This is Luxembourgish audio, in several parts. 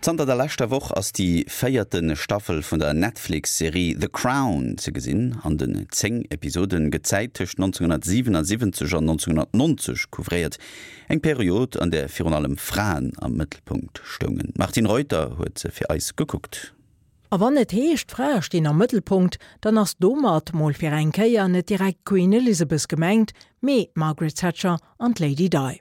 Zanter der leschter Woch ass déi véierte Staffel vun der Netflix-Serie The Crown ze gesinn. An den 10 Episode gëtt d'Zäit tëscht 1977 an 1990 couvréiert, eng Period, an där virun allem Fraen am Mëttelpunkt stoungen. D'Martine Reuter huet se fir eis gekuckt. A wann et heescht, d'Frae stinn am Mëttelpunkt, dann ass domat, mol fir eng Kéier, net direkt d'Queen Elizabeth gemengt, mee d'Margaret Thatcher an d'Lady Di.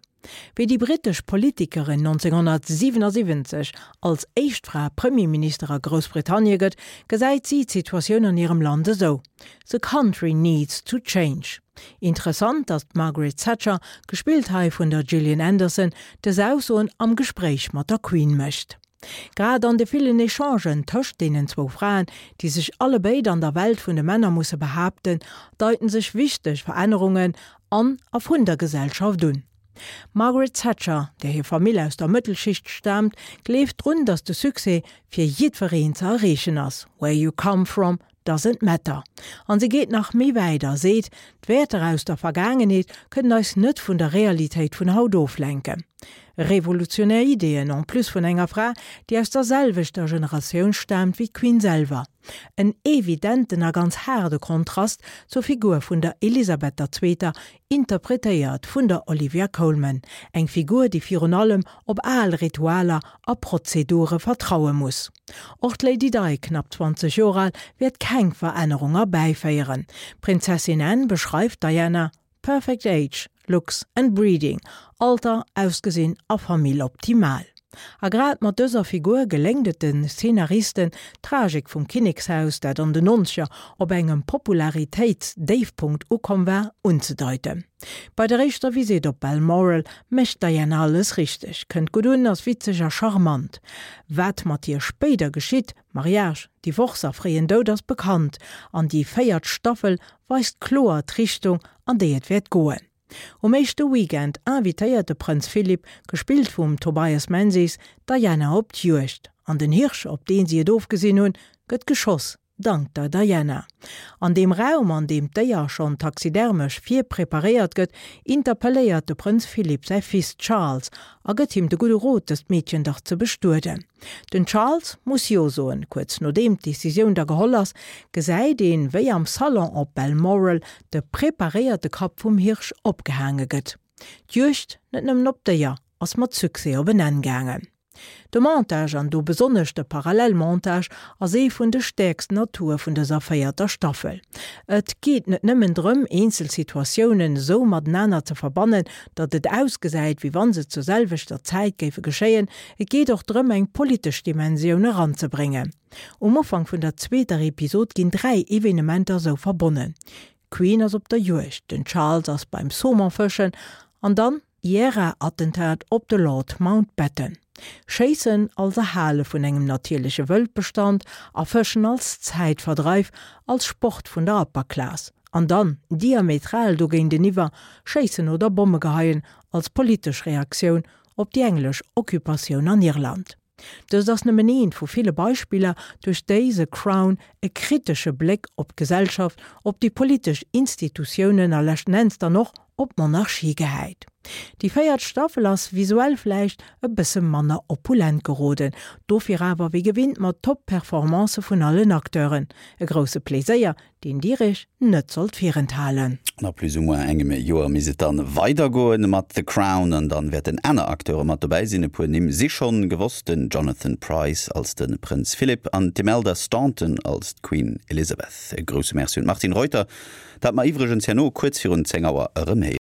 Wéi déi brittesch Politikerin 1977 als éischt Fra Premierminister a Groussbritannie gëtt, gesäit si d'Situatioun an hirem Land esou, The country needs to change. Interessant, datt d'Margaret Thatcher, gespillt hei vun der Gillian Anderson, dës Aussoen am Gespréich mat der Queen mécht. Grad an de villen Echangen tëscht deenen zwou Fraen, déi sech allebéid an der Welt vun de Männer musse behaapten, deiten sech wichteg Verännerungen an a vun der Gesellschaft un. D'Margaret Thatcher, där hir Famill aus der Mëttelschicht staamt, gleeft drun, datt de Succès fir jiddwereen ze erreechen ass, Where you come from doesn't matter. An se geet nach méi wäit a seet, D'Wäerter aus der Vergaangenheet kënnen eis net vun der Realitéit vun haut oflenken. Revolutionär Ideeën en plus vun enger Fra, déi aus der selwechter Generatioun staamt wéi d'Queen selwer. En evidenten a ganz haarde Kontrast zur Figur vun der Elisabeth der Zweeter, interpretéiert vun der Olivia Colman, eng Figur, déi virun allem op al Ritualer a Prozedure vertraue muss. Och d'Lady Di, knapp 20 Joer al, wäert keng Verännerung erbäiféieren. D'Prinzessin Anne beschreift d'Diana Perfect age, looks and breeding, Alter, Ausgesinn a Famill optimal. A grad mat dëser Figur geléngt et de Szenaristen, d'Tragik vum Kinnekshaus, dat an den Nonzeger op engem Popularitéitsdéifpunkt ukomm war, unzedeiten. Bei der éischter Visitt op Balmoral mécht d'Diana alles richteg, kënnt gutt un, ass witzeg a charmant. Wat mat hir spéider geschitt, Mariage, Divorce a fréien Doud, ass bekannt, an déi véiert Staffel weist kloer d'Richtung, an déi et wäert goen. Um éischte Weekend invitéiert de Prënz Philip, gespillt vum Tobias Menzies, d'Diana op d'Juegd. An den Hirsch, op deen si et ofgesinn hunn, gëtt geschoss, dank der Diana. An deem Raum, an deem d'Déier schonn taxidermesch virpreparéiert gëtt, interpelléiert de Prënz Philip säi Fils Charles a gëtt him de gudde Rot, dëst Meedchen dach ze bestueden. Den Charles muss Jo soen. Kuerz nodeem d'Decisioun da geholl ass, gesäit een, wéi am Salon op Balmoral de preparéierte Kapp vum Hirsch opgehaange gëtt. D'Juegd, net nëmmen op d'Déier, ass mat Succès op en Enn gaangen. De Montage, an do besonnesch de Parallelmontage, ass ee vun de stäerksten Atoue vun dëser véierter Staffel. Et geet net nëmmen drëm, eenzel Situatiounen esou matenaner ze verbannen, datt et ausgesäit, wéi wann se zur selwechter Zäit géife geschéien, et geet och drëm, eng politesch Dimensioun eranzebréngen. Um Ufank vun der zweeter Episod ginn 3 Evenementer esou verbonnen, D'Queen ass op der Juegd, den Charles ass beim Saumon fëschen an dann d'IRA-Attentat op de Lord Mountbatten. Schéissen als Erhale vun engem natierleche Wëldbestand a Fëschen als Zäitverdreif, als Sport vun der Upper Class. An dann, diametral dogéinteniwwer, Schéissen oder Bomme geheien als politesch Reaktioun op déi englesch Occupatioun an Irland. Dëst ass nëmmen eent vu ville Beispiller, duerch déi The Crown e kritesche Bléck op d'Gesellschaft, op déi politesch Institutiounen a leschten Enns dann och op d'Monarchie gehäit. Déi véiert Staffel ass visuell vläicht e bësse manner opulent geroden, dofir awer wéi gewinnt mat Top-Performancë vun allen Acteuren. E grousse Pleséier, deen Dir Iech net sollt virenthalen. An a plus ou moins engem Joer misst et dann weidergoen mat The Crown an dann wäerten aner Acteure mat dobäi sinn. E puer Nimm si schonn gewosst, den Jonathan Pryce als de Prënz Philip an d'Imelda Staunton als d'Queen Elizabeth. E grousse Merci un d'Martine Reuter, dat mer iwwregens herno kuerz virun 10 Auer erëm héieren.